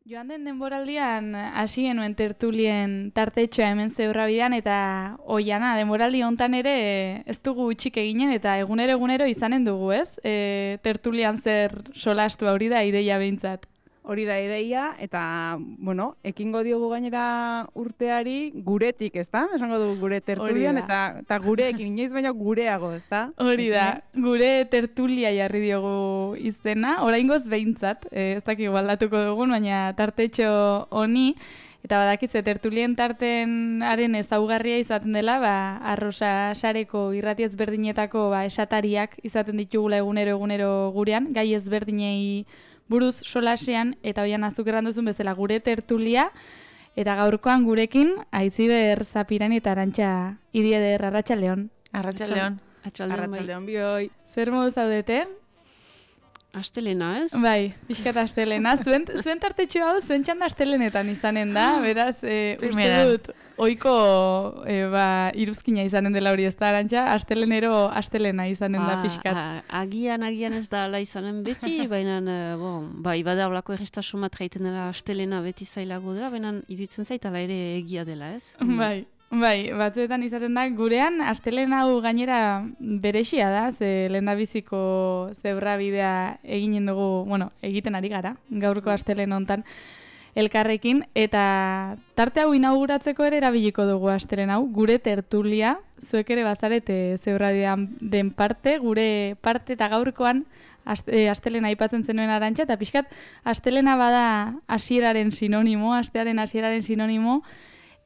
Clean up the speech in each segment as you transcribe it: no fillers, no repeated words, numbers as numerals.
Joan den denboraldian hasi genuen tertulien tartetxoa hemen Zebrabbidean eta oiana denboraldi hontan ere ez dugu utxik eginen eta egunero izanen dugu, ez? Tertulian zer solastu hori da ideia behintzat. Hori da ideia, eta, bueno, ekingo diogu gainera urteari guretik, ezta? Esango dugu gure tertulian, eta gureekin, inoiz baino gureago, ezta? Hori da, gure tertulia jarri diogu izena, oraingoz behintzat, ez dakik aldatuko dugun, baina tartetxo honi, eta badakizu, tertulien tartenaren ezaugarria izaten dela, arrosa sareko irrati ezberdinetako esatariak izaten ditugula egunero gurean, gai ezberdinei buruz solasean, eta hoian azuk erran duzun bezala gure tertulia, eta gaurkoan gurekin, Aitziber Zapirani eta Arantxa Idieder, Arratsaldeon. Arratsaldeon. Arratsaldeon bioi. Zer modu zaudete? Astelena, ez? Bai, pixkat astelena. Zuen tartetxo hau, zuen txanda astelenetan izanen da, beraz, uste dut, oiko iruzkina izanen dela hori ez da, Arantxa, astelenero astelena izanen da pixkat. Agian ez da ala izanen beti, baina, bai, bada olako errestasun bat gaiten dela astelena beti zailago dela, baina iduitzen zaitala ere egia dela, ez? Bai, batzuetan izaten da, gurean astelehen hau gainera berexia da, ze lehendabiziko Zebrabidea eginen dugu, egiten ari gara, gaurko astelehen hontan elkarrekin, eta tarte hau inauguratzeko ere erabiliko dugu astelehen hau, gure tertulia, zuek ere bazarete Zebrabidean den parte, gure parte eta gaurkoan astelena aipatzen zenuen Arantxa, eta pixkat astelena bada hasieraren sinonimo, astearen hasieraren sinonimo,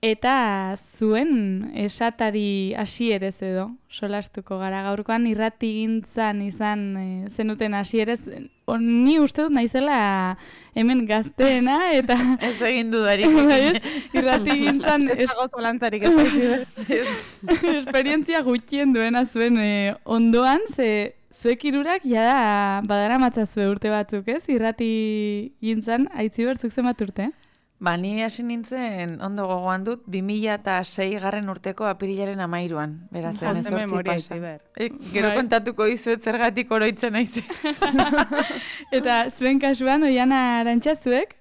eta zuen esatari hasierez edo solastuko gara gaurkoan irratigintzan izan zenuten hasierez. Ni uste dut naizela hemen gazteena eta ez egin dudarik. Irratigintzan ez dago zalantzarik ez. Esperientzia gutxien duena zuen ondoan, ze zuek hirurak jada badaramatza urte batzuk, ez? Irratigintzan Aitziber zuk zenbat urte? Ni hasi nintzen, ondo gogoan dut, 2006 garren urteko apirilaren 13an. Beraz, emezortzi pasa. Gero kontatuko dizuet zergatik oroitzen naizen. Eta zuen kasuan, Oiana Arantxa zuek?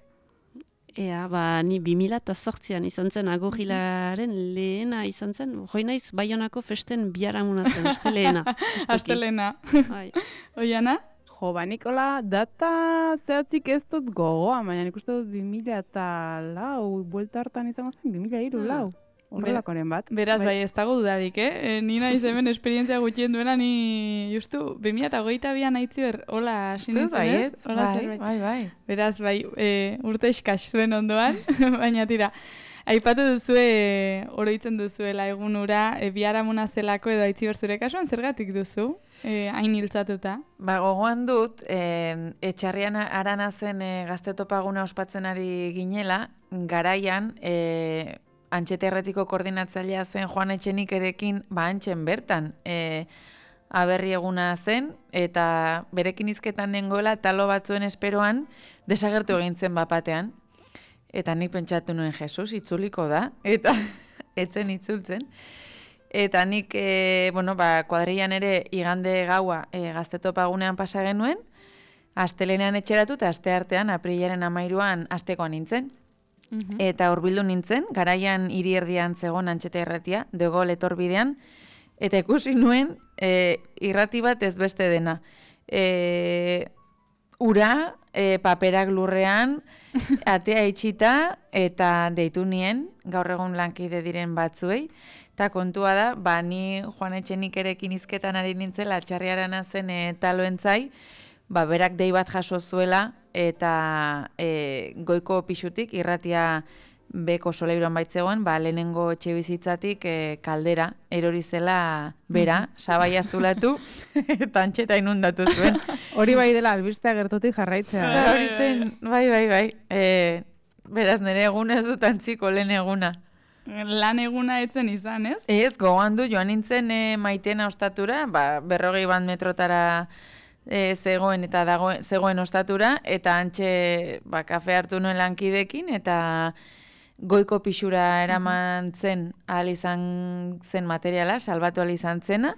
Ea, ni 2008an izan zen Agorrilaren lehena izan zen. Hoi naiz Baionako festen biharamuna zen, astelehena. Astelehena. Oiana? Nikola, data zehatzik ez dut gogoa, baina nik uste dut 2004, buelta hartan izango zen, 2003, lau. Horrelakoren bat. Beraz, bai, ez dago dudarik, Ni naiz hemen esperientzia gutxien duena, ni justu 2022an Aitziber, hola sinintzen ez? Bai. Beraz, bai, urte eskas zuen ondoan, baina tira. Aipatu duzue, oroitzen duzuela egun ura, biharamuna zelako edo Aitziber zure kasuan, zergatik duzu, hain hiltzatuta? Gogoan dut, etxarrian arana zen gaztetopaguna ospatzen ari ginela, garaian, Antxeterretiko koordinatzailea zen Joan Etxenikerekin, antxen bertan, aberri eguna zen, eta berekin hizketan nengoela talo batzuen esperoan desagertu egintzen bapatean. Eta nik pentsatu nuen Jesus, itzuliko da, eta etzen itzultzen. Eta nik, kuadrillan ere igande gaua gaztetopagunean pasa genuen, astelenean etxeratu eta aste artean, aprilaren 13an astekoan nintzen. Eta hurbildu nintzen, garaian hiri erdian zegoen Antxeta irratia, De Gaulle etorbidean, eta ikusi nuen irrati bat ez beste dena. Ura, paperak lurrean, atea itxita, eta deitu nien, gaur egun lankide diren batzuei, eta kontua da, ni Joan Etxenikerekin hizketan ari nintzela, txarriarana zen taloentzai, berak dei bat jaso zuela, eta goiko pixutik, irratia beko soleiruan baitzegoen, lehenengo etxe bizitzatik kaldera, erori zela bera, sabaia zulatu, eta Antxeta inundatu zuen. Hori bai dela, albistea gertutik jarraitzea. Hori zen, bai. Beraz, nire eguna ez dut antziko lehen eguna. Lan eguna etzen izan, ez? Ez, gogoan du, joan nintzen Maitena ostatura, 40 metrotara zegoen eta zegoen ostatura, eta antxe kafe hartu nuen lankidekin, eta goiko pixura eraman zen ahal izan zen materiala, salbatu ahal izan zena,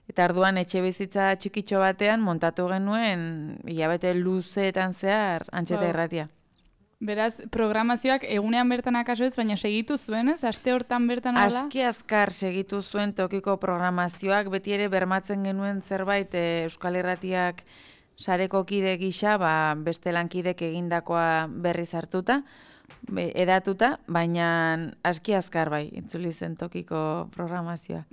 eta arduan etxe bizitza txikitxo batean montatu genuen hilabete luzeetan zehar Antxeta irratia. Beraz, programazioak egunean bertan akaso ez, baina segitu zuen, ez? Aste hortan bertan hola? Aski azkar segitu zuen tokiko programazioak, beti ere bermatzen genuen zerbait Euskal Irratiak sareko kide gisa, beste lankidek egindakoa berriz hartuta, edatuta, baina aski azkar bai, itzuli zen tokiko programazioa.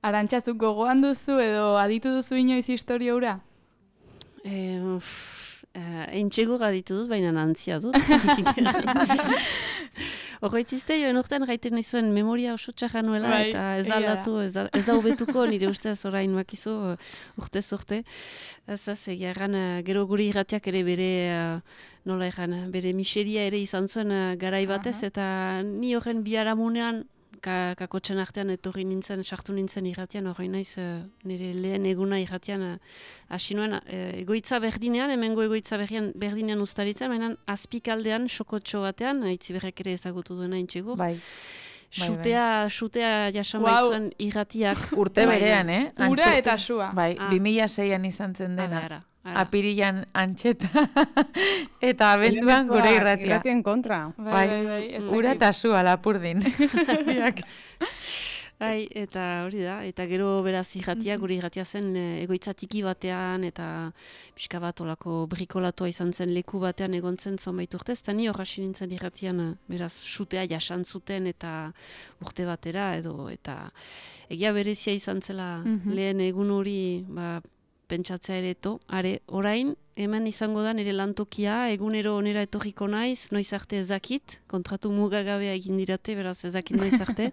Arantxazuk gogoan duzu edo aditu duzu inoiz historia hura? Entxego gaditu dut, baina antzia dut. Horretzizte, joan urtean gaiten nizuen memoria oso txarra nuela, eta ez da aldatu, ez da hobetuko nire ustez orain makizu urtez urte. Ez egia erran, gero guri irratiak ere bere, nola erran, bere miseria ere izan zuen garai batez, eta ni horren biharamunean, kakotxen artean etorri nintzen, sartu nintzen irratian, horrein naiz nire lehen eguna irratian hasi nuen egoitza berdinean, hemengo egoitza berdinean ustaritzen, baina azpikaldean, xokotxo batean, Aitziberrek ere ezagutu duena intxego. Bai. Xutea jasan baitzuen irratiak. Urte berean, Ura eta sua. Bai, 2006an izan zen dena. Apirilan antxeta eta abenduan gure irratia. Irratien kontra. Bai, ura eta sua lapurdin. Eta hori da, eta gero beraz irratia, gure irratia zen egoitza tiki batean, eta pixka bat olako brikolatoa izan zen leku batean egontzen zonbait urtez, eta ni hor hasi nintzen irratian beraz xutea jasan zuten eta urte batera, eta egia berezia izan zela lehen egun hori, pentsatzea ere orain, hemen izango da nire lantokia, egunero onera etorriko naiz, noiz arte ezakit, kontratu mugagabea egin dirate, beraz ezakit noiz arte,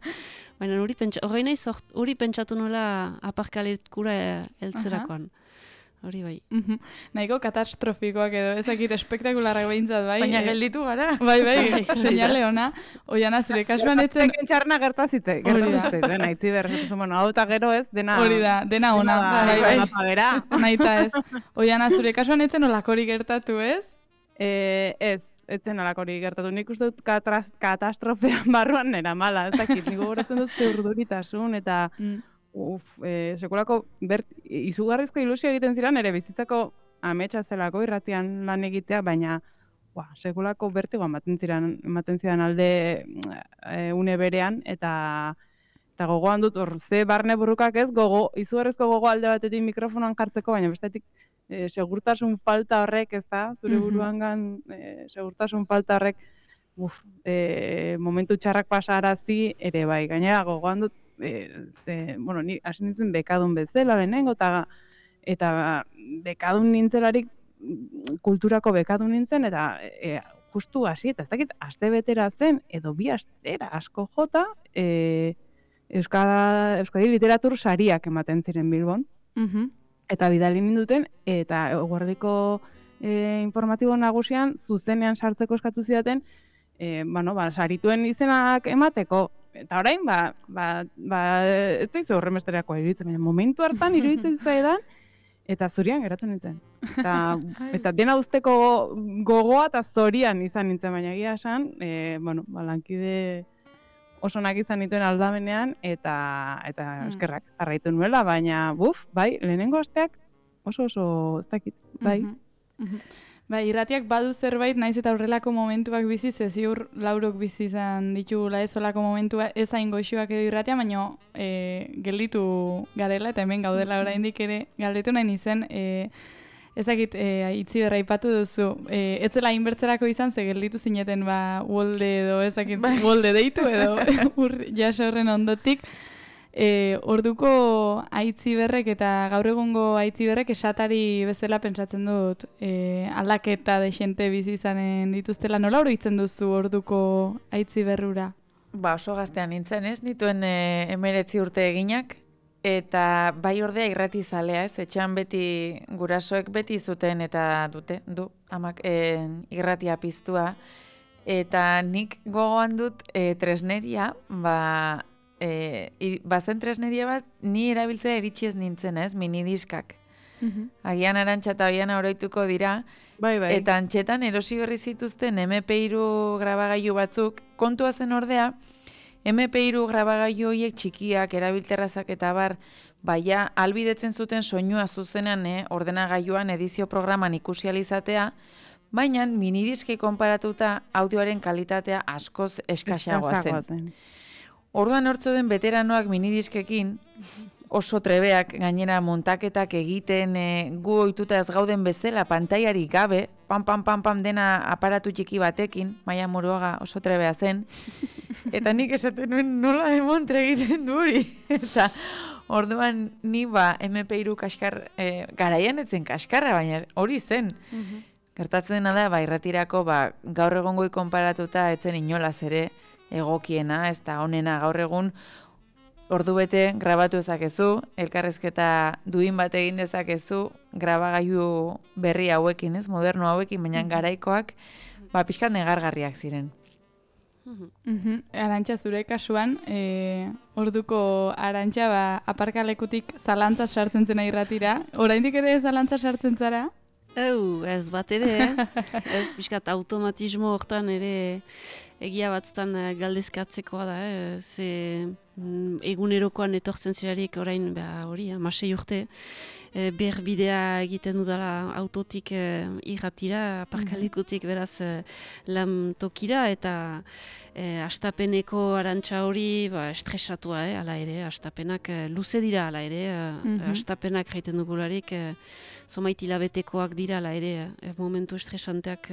baina hori pentsatu nola aparkalekura eltzerakoan. Hori bai. Nahiko katastrofikoak edo, ezakit espektakularrak behintzat, bai? Baina gelditu gara. Bai, seinale ona. Oiana, zure kasuan etzen... Txarna gertazitze, dena, Aitziber, hau eta gero ez, dena... Hori da, dena ona. Bai. Naita ez. Oiana, zure kasuan etzen olakori gertatu, ez? Etzen olakori gertatu. Nik uste dut katastrofean barruan nera mala, ez dakit, nik gogoratzen dut zeurduritasun, eta... sekulako izugarrizko ilusio egiten ziren ere bizitzako ametsa zelako irratian lan egitea, baina sekulako bertigo ematen ziren alde une berean, eta gogoan dut hor ze barne burrukak ez, izugarrizko gogo alde batetik mikrofonoan jartzeko, baina bestetik segurtasun falta horrek, ez da, zure buruangan segurtasun falta horrek momentu txarrak pasarazi ere bai, gainera gogoan dut ni hasi nintzen bekadun bezala lehenengo, eta bekadun nintzelarik kulturako bekadun nintzen, eta justu hasi, eta ez dakit, aste betera zen, edo bi astera asko jota, Euskadi literatur sariak ematen ziren Bilbon, eta bidali ninduten, eta eguerdiko informatibo nagusian, zuzenean sartzeko eskatu zidaten, sarituen izenak emateko, eta orain, ez zaizu horremesterakoa iruditzen, momentu hartan iruditzen zaidan, eta zorian geratu nintzen. Eta dena usteko gogoa eta zorian izan nintzen, baina egia esan, lankide osonak izan nituen aldamenean, eta eskerrak jarraitu nuela, baina, bai, lehenengo asteak oso ez dakit, bai. Bai, irratiak badu zerbait, naiz eta horrelako momentuak bizi, ziur Laurok bizi izan ditugula ez olako momentua, ez hain goxoak edo irratia, baina gelditu garela, eta hemen gaudela oraindik ere galdetu nahi nizen, ezakit Aitziberra aipatu duzu, ez zela inbertzerako izan, ze gelditu zineten uolde edo, ezakit, uolde deitu edo, jaso horren ondotik, orduko Aitziberrek eta gaur egungo Aitziberrek esatari bezala pentsatzen dut aldaketa dexente bizi izanen dituztela. Nola oroitzen duzu orduko Aitziberrura? Oso gaztean nintzen, ez? Nituen 19 urte eginak, eta bai ordea irratizalea, ez? Etxean beti gurasoek beti zuten eta du amak irratia piztua, eta nik gogoan dut tresneria, bazen tresneria bat, ni erabiltzea iritsi ez nintzen, ez, minidiskak. Agian Arantxa eta Oiana oroituko dira, bai. Eta antxetan erosi berri zituzten MP3 grabagailu batzuk, kontua zen ordea, MP3 grabagailu horiek txikiak, erabilterrazak eta baina albidetzen zuten soinua zuzenean ordenagailuan edizio programan ikusi alizatea, baina minidiskei konparatuta audioaren kalitatea askoz eskasagoa zen. Orduan hortzo den veteranoak minidiskekin oso trebeak gainera montaketak egiten gu ohituta ez gauden bezala pantailarik gabe, pam dena aparatu txiki batekin, Maia Muruaga oso trebea zen, eta nik esaten nuen nola demontre egiten du hori. Eta orduan ni MP3 kaskar, garaian etzen kaskarra, baina hori zen. Gertatzen dena da, irratirako gaur egongoi konparatuta etzen inolaz ere egokiena, ez da honena gaur egun ordu bete grabatu ezakezu, elkarrezketa duin bat egin dezakezu, grabagailu berri hauekin, ez, moderno hauekin, baina garaikoak, pixkat negargarriak ziren. Arantxa, zure kasuan, orduko Arantxa, aparkalekutik zalantzaz sartzen zena irratira, oraindik ere zalantza sartzen zara? Ez bat ere, ez pixkat automatismo hortan ere egia batzutan galdezkatzekoa da, ze egunerokoan etortzen zirarik orain hori, 16 urte, berbidea egiten dudala autotik irratira, aparkalekutik beraz lan tokira, eta astapeneko Arantxa hori estresatua, ala ere, astapenak luze dira, ala ere, astapenak jaiten dugularik, zomait hilabetekoak dira, ala ere, momentu estresanteak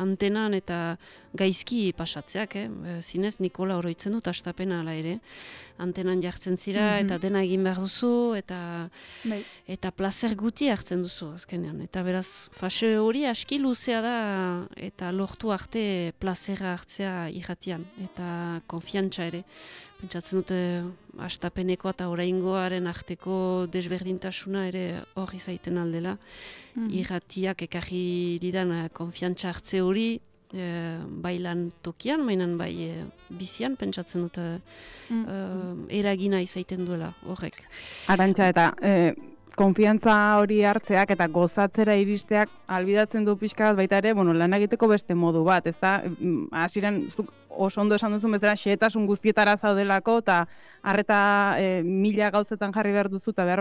antenan eta gaizki pasatzeak, zinez Nikola oroitzen dut astapena, ala ere, antenan jartzen zira, eta dena egin behar duzu, eta placer guti hartzen duzu, azkenean. Eta beraz, fase hori aski luzea da, eta lortu arte plazera hartzea irratian, eta konfiantza ere. Pentsatzen dute astapeneko eta oraingoaren arteko desberdintasuna ere hori zaiten aldela. Irratiak ekarri didan konfiantza hartze hori, bai lan tokian, mainan bai bizian, pentsatzen dute eragina izaiten duela horrek. Arantxa, eta konfiantza hori hartzeak eta gozatzera iristeak albidatzen du pixka bat baita ere, lan egiteko beste modu bat, ez da, hasieran oso ondo esan duzun bezala, xehetasun guztietara zaudelako, eta harreta mila gauzetan jarri behar duzu, eta behar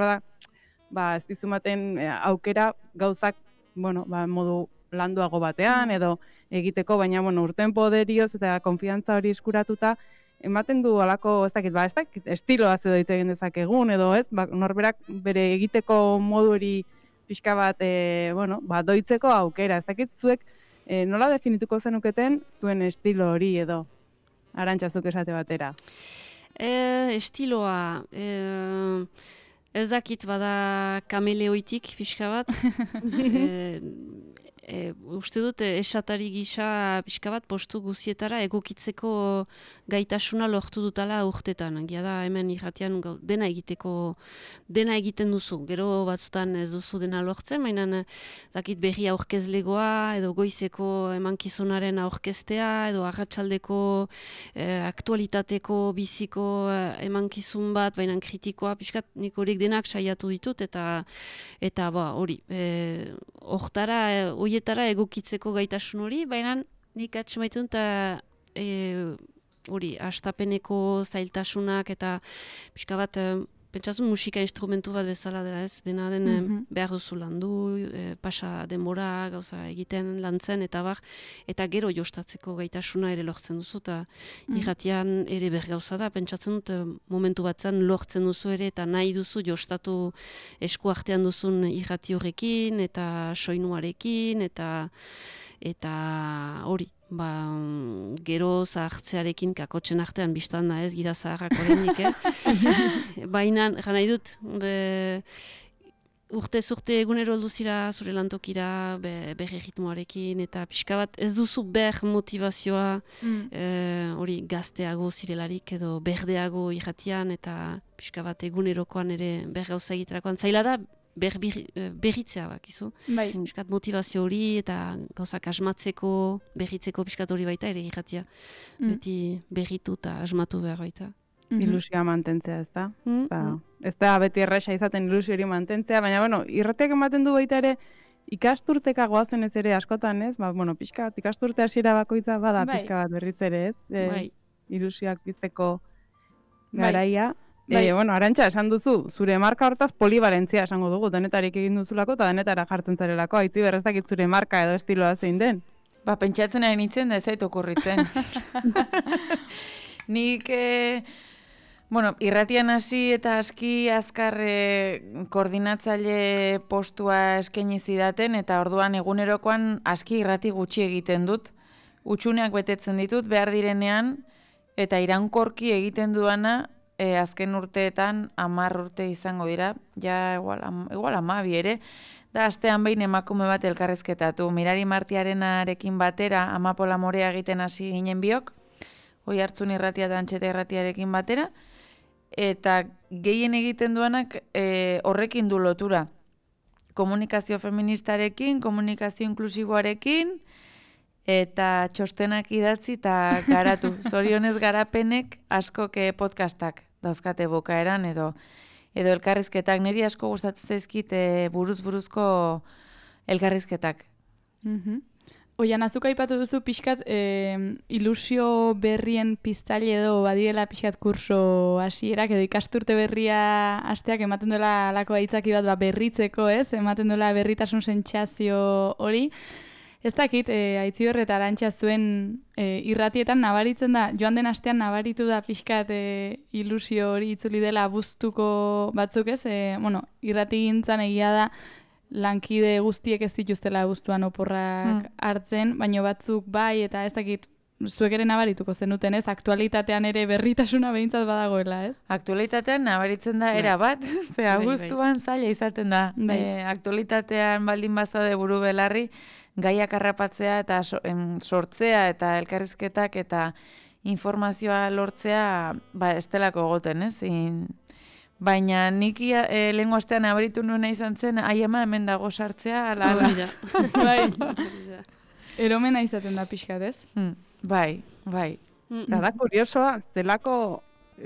da, ez dizumaten aukera gauzak, modu landuago batean, edo egiteko, baina, urten poderioz eta konfiantza hori eskuratuta, ematen du alako, ez dakit, estiloa edo hitz egin dezakegun, edo ez, norberak bere egiteko modu hori pixka bat, doitzeko aukera, ez dakit, zuek nola definituko zenuketen zuen estilo hori edo, Arantxa, zuk esate batera? Estiloa, ez dakit bada kameleoitik pixka bat, uste dut esatari gisa pixka bat postu guzietara egokitzeko gaitasuna lortu dutala urtetan. Egia da hemen irratian dena egiten duzu. Gero batzutan ez duzu dena lortzen, baina zakit berri aurkezlegoa edo goizeko emankizunaren aurkeztea edo arratsaldeko aktualitateko biziko emankizun bat, baina kritikoa pixkat nik horiek denak saiatu ditut eta hori. Hortara hoietara egokitzeko gaitasun hori, baina nik atxemaitun eta hori, astapeneko zailtasunak eta pixka bat, pentsazun musika instrumentu bat bezala dela ez, dena den behar duzu landu, pasa denbora, gauza egiten lantzen eta gero jostatzeko gaitasuna ere lortzen duzu, eta irratian ere bergauza da, pentsatzen dut momentu batzen lortzen duzu ere eta nahi duzu jostatu esku artean duzun irrati horrekin eta soinuarekin eta hori. Gero zahartzearekin kakotzen artean biztan da ez, gira zaharrak horrenik, baina, nahi dut, urte egunero alduzira zure lantokira, berre ritmoarekin, eta pixka bat ez duzu motivazioa, hori gazteago zirelarik edo berdeago irratian, eta pixka bat egunerokoan ere bergauza egiterakoan. Zaila da, berritzea bakizu. Piskat motivazio hori eta gauzak asmatzeko, berritzeko piskat hori baita ere irratia. Beti berritu eta asmatu behar baita. Ilusioa mantentzea, ez da? Ez da beti erresa izaten ilusio hori mantentzea, baina, irratiak ematen du baita ere ikasturteka goazen ez ere askotan, ez? Piskat ikasturte hasiera bakoitza bada pixka bat berriz ere, ez? Ilusioak bizteko garaia. Bueno, Arantxa, esan duzu, zure marka hortaz polivalentzia esango dugu, denetarik egin duzulako eta denetara jartzen zarelako, aitzi ez dakit zure marka edo estiloa zein den. Pentsatzen ari nintzen, da ez zait okurritzen. Nik, irratian hasi eta aski azkar koordinatzaile postua eskaini zidaten, eta orduan egunerokoan aski irrati gutxi egiten dut. Utsuneak betetzen ditut, behar direnean, eta iraunkorki egiten duana, azken urteetan 10 urte izango dira, ja igual 12 ere, da astean behin emakume bat elkarrizketatu. Mirari Martiarenarekin batera, Amapola Morea egiten hasi ginen biok, Oihartzun irratia eta Antxeta irratiarekin batera, eta gehien egiten duanak horrekin du lotura. Komunikazio feministarekin, komunikazio inklusiboarekin, eta txostenak idatzi eta garatu. Zorionez garapenek askok podcastak dauzkate bukaeran edo elkarrizketak. Niri asko gustatzen zaizkit buruz-buruzko elkarrizketak. Oian, azuk aipatu duzu pixkat ilusio berrien piztaile edo badirela pixkat kurso hasierak edo ikasturte berria hasteak ematen duela alako aitzaki bat berritzeko, ez? Ematen duela berritasun sentsazio hori. Ez dakit, Aitziber eta Arantxa zuen irratietan nabaritzen da, joan den astean nabaritu da pixkat ilusio hori itzuli dela abuztuko batzuk, ez? Irrati gintzan egia da lankide guztiek ez dituztela abuztuan oporrak hartzen, baina batzuk bai, eta ez dakit, zuek ere nabarituko zenuten, ez? Aktualitatean ere berritasuna behintzat badagoela, ez? Aktualitatean nabaritzen da era bat, ze abuztuan zaila izaten da. Aktualitatean baldin bazaude buru belarri, gaiak harrapatzea eta sortzea eta elkarrizketak eta informazioa lortzea ez delako egoten, ez? Baina nik lehengo astean nabaritu nuena izan zen, ama hemen dago sartzea, ala. Bai. Eromena izaten da pixkat, ez? Bai. Da kuriosoa, zelako,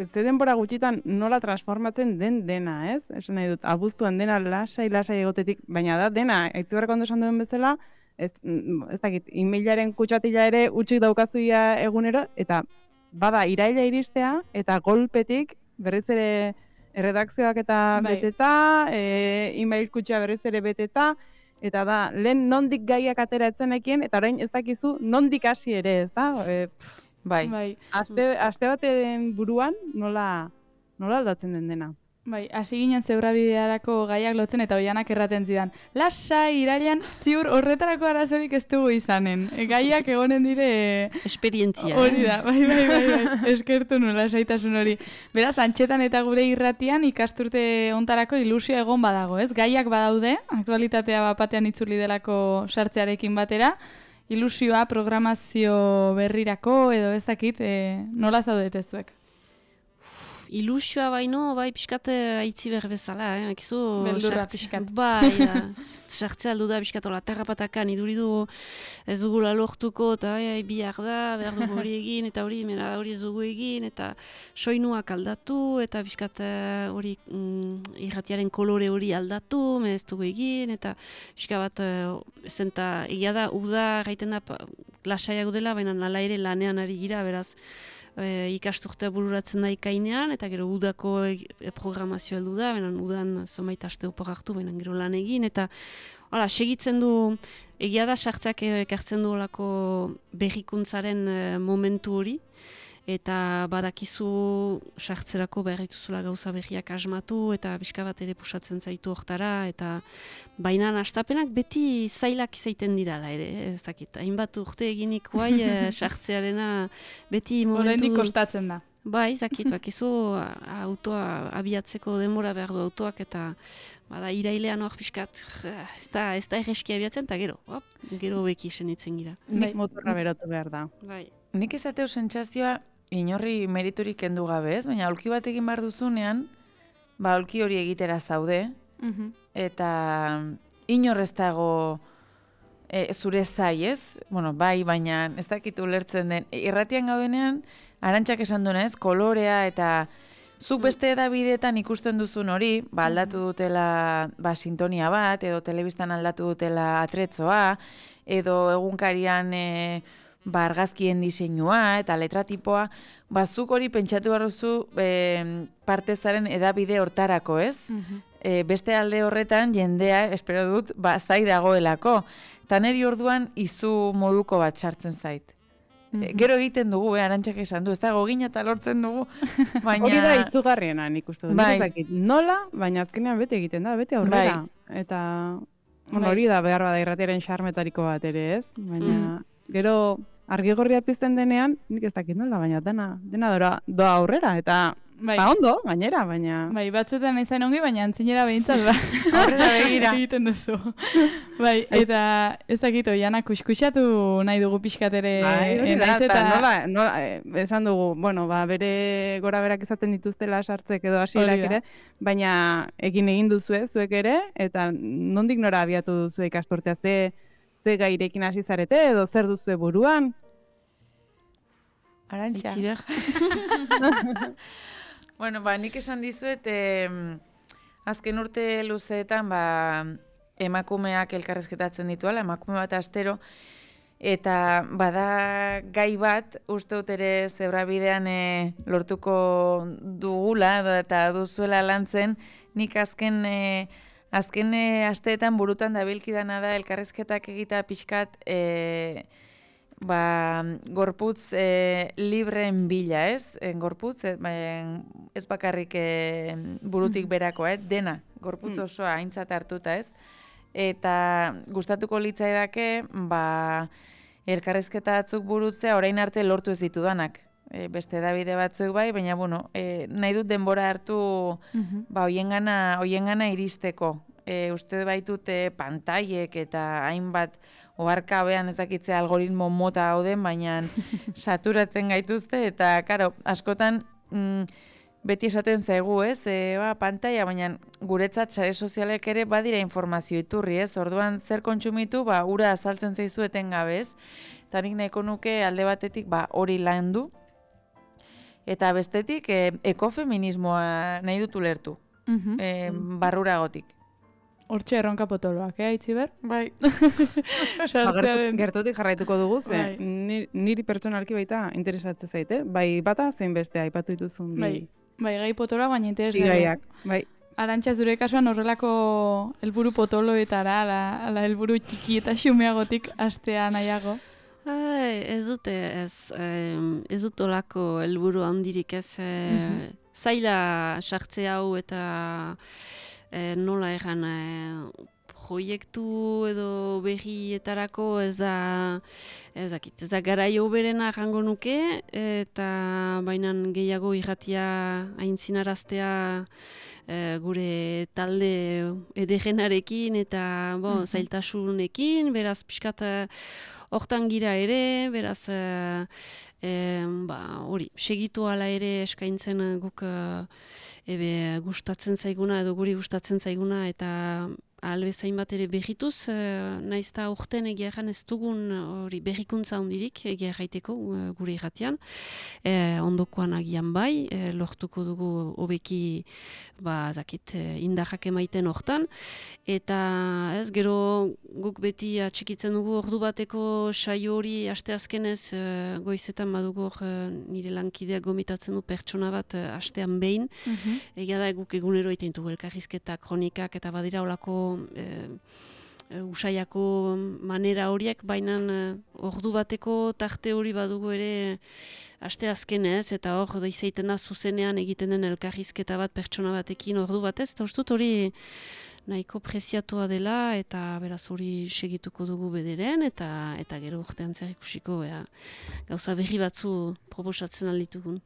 ze denbora gutxitan nola transformatzen den dena, ez? Esan nahi dut, abuztuan dena lasai egotetik, baina da dena, Aitziberrek ondo esan duen bezala, ez dakit, emailaren kutsatila ere utxik daukazuia egunero, eta bada iraila iristea, eta golpetik berriz ere erredakzioak eta beteta, email kutsa berriz ere beteta, eta da, lehen nondik gaiak atera etzenekien, eta orain ez dakizu nondik hasi ere, ez da? Bai. Aste baten buruan nola aldatzen den dena. Bai, hasi ginen zebrabidearako gaiak lotzen eta Oianak erraten zidan. Lasai, irailean, ziur horretarako arazorik ez dugu izanen. Gaiak egonen dire... Esperientzia. Hori da, bai. Eskertu nu lasaitasun hori. Beraz, Antxetan eta gure irratian ikasturte ontarako ilusio egon badago, ez? Gaiak badaude, aktualitatea batean itzuli delako sartzearekin batera. Ilusioa, programazio berrirako edo ez dakit, nola zaudete zuek? Ilusioa baino, bai, pixkat Aitziber bezala, beldurra pixkat. Bai, sartzea aldu da pixkat, terrapatakan iduridu ez dugula lortuko, eta bihar da, behar dugu hori egin, eta hori ez dugu egin, eta soinuak aldatu, eta pixkat hori irratiaren kolore hori aldatu, ez dugu egin, eta pixka bat, zenta, egia da, uda gaiten da, lasaiago dela, baina nala ere lanean ari gira, beraz, ikasturtea bururatzen da ikainean, eta gero udako programazioa heldu da, benen udan zomait aste opor hartu, benen gero lan egin, eta segitzen du, egia da sartzeak ekartzen du olako berrikuntzaren momentu hori, eta badakizu sartzerako berrituzula gauza berriak asmatu, eta pixka bat ere pusatzen zaitu hortara, eta baina astapenak beti zailak izaiten dirala ere, ez dakit, hainbat urte eginik guai sartzearena beti momentu... Oraindik kostatzen da. Bai, zakit, bakizu autoa abiatzeko denbora behar du autoak, eta bada irailean hor pixkat, ez da erreski abiatzen, eta gero beki senitzen gira. Nik motorra berotu behar da. Bai. Nik ezateu sentsazioa inorri meriturik kendu gabe, ez? Baina aulki bat egin behar duzunean, aulki hori egitera zaude, eta inor ez dago zure zai, ez? Bai, baina ez dakit ulertzen den. Irratian gaudenean, Arantxak esan duena, ez? Kolorea eta zuk beste edabideetan ikusten duzun hori, aldatu dutela sintonia bat, edo telebistan aldatu dutela atretzoa, edo egunkarian argazkien diseinua eta letratipoa, zuk hori pentsatu barruzu partezaren edabide hortarako, ez? Beste alde horretan jendea, espero dut, zai dagoelako. Ta neri orduan izu moduko bat sartzen zait. Gero egiten dugu, Arantxak esan du, ez dago gina eta lortzen dugu. Baina... Hori da izugarriena nik uste dut. Nola, baina azkenean bete egiten da, bete aurrera. Eta hori da behar bada irratiaren xarmetariko bat ere, ez? Baina gero argi-gorria pizten denean, nik ez dakit nola, baina dena doa aurrera, eta ondo, gainera, baina... Batzuetan ezain ongi, baina antzinera behintzat, aurrera begira egiten duzu. Eta ezakito, Jana, kuskusatu nahi dugu pixkatere naiz eta... Esan dugu, bere gora berak izaten dituztela sartzek edo hasierak ere, baina egin duzue, zuek ere, eta nondik nora abiatu duzu ikasturtea, ze gairekin hasi zarete edo zer duzu buruan? Arantxa. Nik esan dizuet, azken urte luzeetan, emakumeak elkarrezketatzen dituela, emakume bat astero, eta bada gai bat, uste dut ere zebrabidean lortuko dugula, eta duzuela lantzen, nik azken asteetan burutan dabilkidana da elkarrezketak egita pixkat, gorputz libreen bila, ez? Gorputz, ez bakarrik burutik berako, dena, gorputz osoa aintzat hartuta, ez? Eta gustatuko litzaidake, elkarrezketa batzuk burutzea orain arte lortu ez ditudanak. Beste edabide batzuk bai, baina, nahi dut denbora hartu hoiengana iristeko. Uste baitut pantailek eta hainbat oharkabean ezakitzea algoritmo mota hauden, baina saturatzen gaituzte, eta, karo, askotan beti esaten zaigu, ez? Pantaila, baina guretzat sare sozialek ere badira informazio iturri, ez? Orduan zer kontsumitu, ura azaltzen zaizu etengabe, ez? Eta nik nahiko nuke alde batetik hori landu, eta bestetik ekofeminismoa nahi dut ulertu, barruragotik. Hortxe erronka potoloak, Aitziber? Bai. Gertutik jarraituko dugu, niri pertsonalki baita interesatzen zaite, bai bata zein bestea aipatu dituzun. Bai, gai potoloak, baina interesgarriak. Bai. Arantxa, zure kasuan horrelako helburu potoloetara, ala helburu txiki eta xumeagotik astea nahiago? Ez dut olako helburu handirik, ez zaila sartze hau eta nola egan proiektu edo berrietarako ez da garaio berena jango nuke, eta bainan gehiago irratia aintzinaraztea gure talde edegenarekin eta zailtasunekin, beraz pixkat hortan gira ere, beraz hori, segitu ala ere eskaintzen guk gustatzen zaiguna edo guri gustatzen zaiguna, eta albezain bat ere berrituz, naiz eta urten egia egan ez dugun hori berrikuntza hondirik egia gaiteko gure irratian, ondokoan agian bai, lortuko dugu hobeki indarrak emaiten hortan, eta ez gero guk beti atxikitzen dugu ordu bateko saio hori asteazkenez goizetan badugu nire lankideak gomitatzen du pertsona bat astean behin, egia da guk egunero egiten dugu elkarrizketak, kronikak eta badira olako usaiako manera horiek, baina ordu bateko tarte hori badugu ere asteazkenez, eta hor izaiten da zuzenean egiten den elkarrizketa bat pertsona batekin ordu batez, eta ustut hori nahiko preziatua dela, eta beraz hori segituko dugu bederen, eta gero urtean zer ikusiko gauza berri batzu proposatzen alditugun.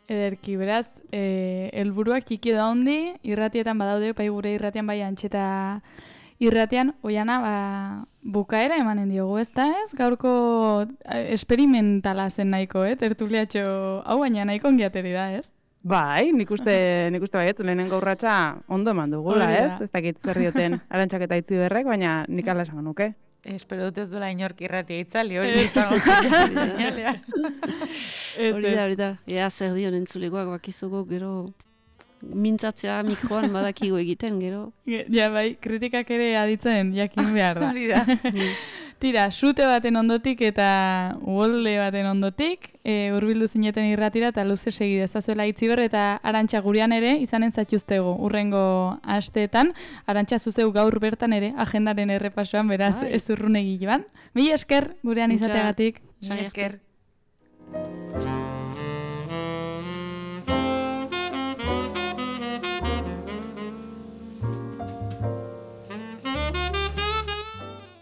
Ederki, beraz, helburuak txiki da hondi, irratietan badaude, bai gure irratian, bai Antxeta irratian, Oiana, bukaera emanen diogu, ez da ez? Gaurko esperimentala zen nahiko, tertuliatxo hau, baina nahiko ongiateri da, ez? Bai, nik uste baietz, lehenengo urratsa ondo eman dugula, ez? Ez dakit zer dioten Arantxak eta Aitziberrek, baina nik ala esango nuke. Espero dut ez duela inork irratia itzali, hori izango seinalea. Hori da, ea zer dion entzulegoak bakizuko, gero mintzatzea mikroan badakigo egiten, gero. Ja, bai, kritikak ere aditzen jakin behar da. Hori da. Tira, sute baten ondotik eta uholde baten ondotik, hurbildu zineten irratira eta luze segi dezazuela Itziber eta Arantxa gurean ere izanen zaituztegu urrengo asteetan. Arantxa zuzeu gaur bertan ere agendaren errepasoan, beraz ez urrunegi joan. Mila esker gurean izateagatik. Mila esker.